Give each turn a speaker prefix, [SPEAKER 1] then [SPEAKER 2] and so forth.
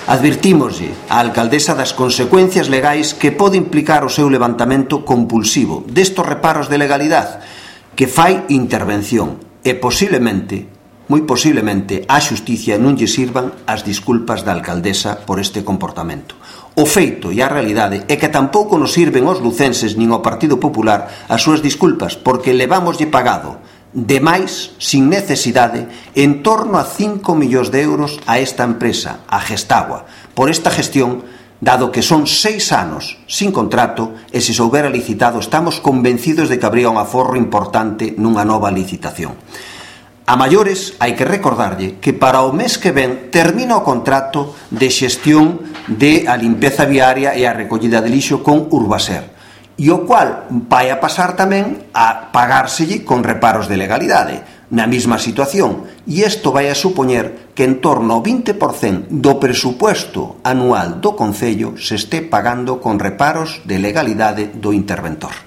[SPEAKER 1] Advertímoslle á alcaldesa das consecuencias legais que pode implicar o seu levantamento compulsivo destos reparos de legalidade, que fai intervención e posiblemente, moi posiblemente, á xusticia non lle sirvan as disculpas da alcaldesa por este comportamento. O feito e a realidade é que tampouco nos sirven aos lucenses nin ao Partido Popular as súas disculpas, porque levámoslle pagado demais, sin necesidade, en torno a 5 millóns de euros a esta empresa, a Gestagua, por esta gestión, dado que son 6 anos sin contrato e se soubera licitado estamos convencidos de que habría un aforro importante nunha nova licitación. A maiores, hai que recordarlle que para o mes que ven termina o contrato de xestión de a limpeza viaria e a recollida de lixo con Urbaser, e o cual vai a pasar tamén a pagárselle con reparos de legalidade, na mesma situación, e isto vai a supoñer que en torno ao 20% do presupuesto anual do Concello se este pagando con reparos de legalidade do interventor.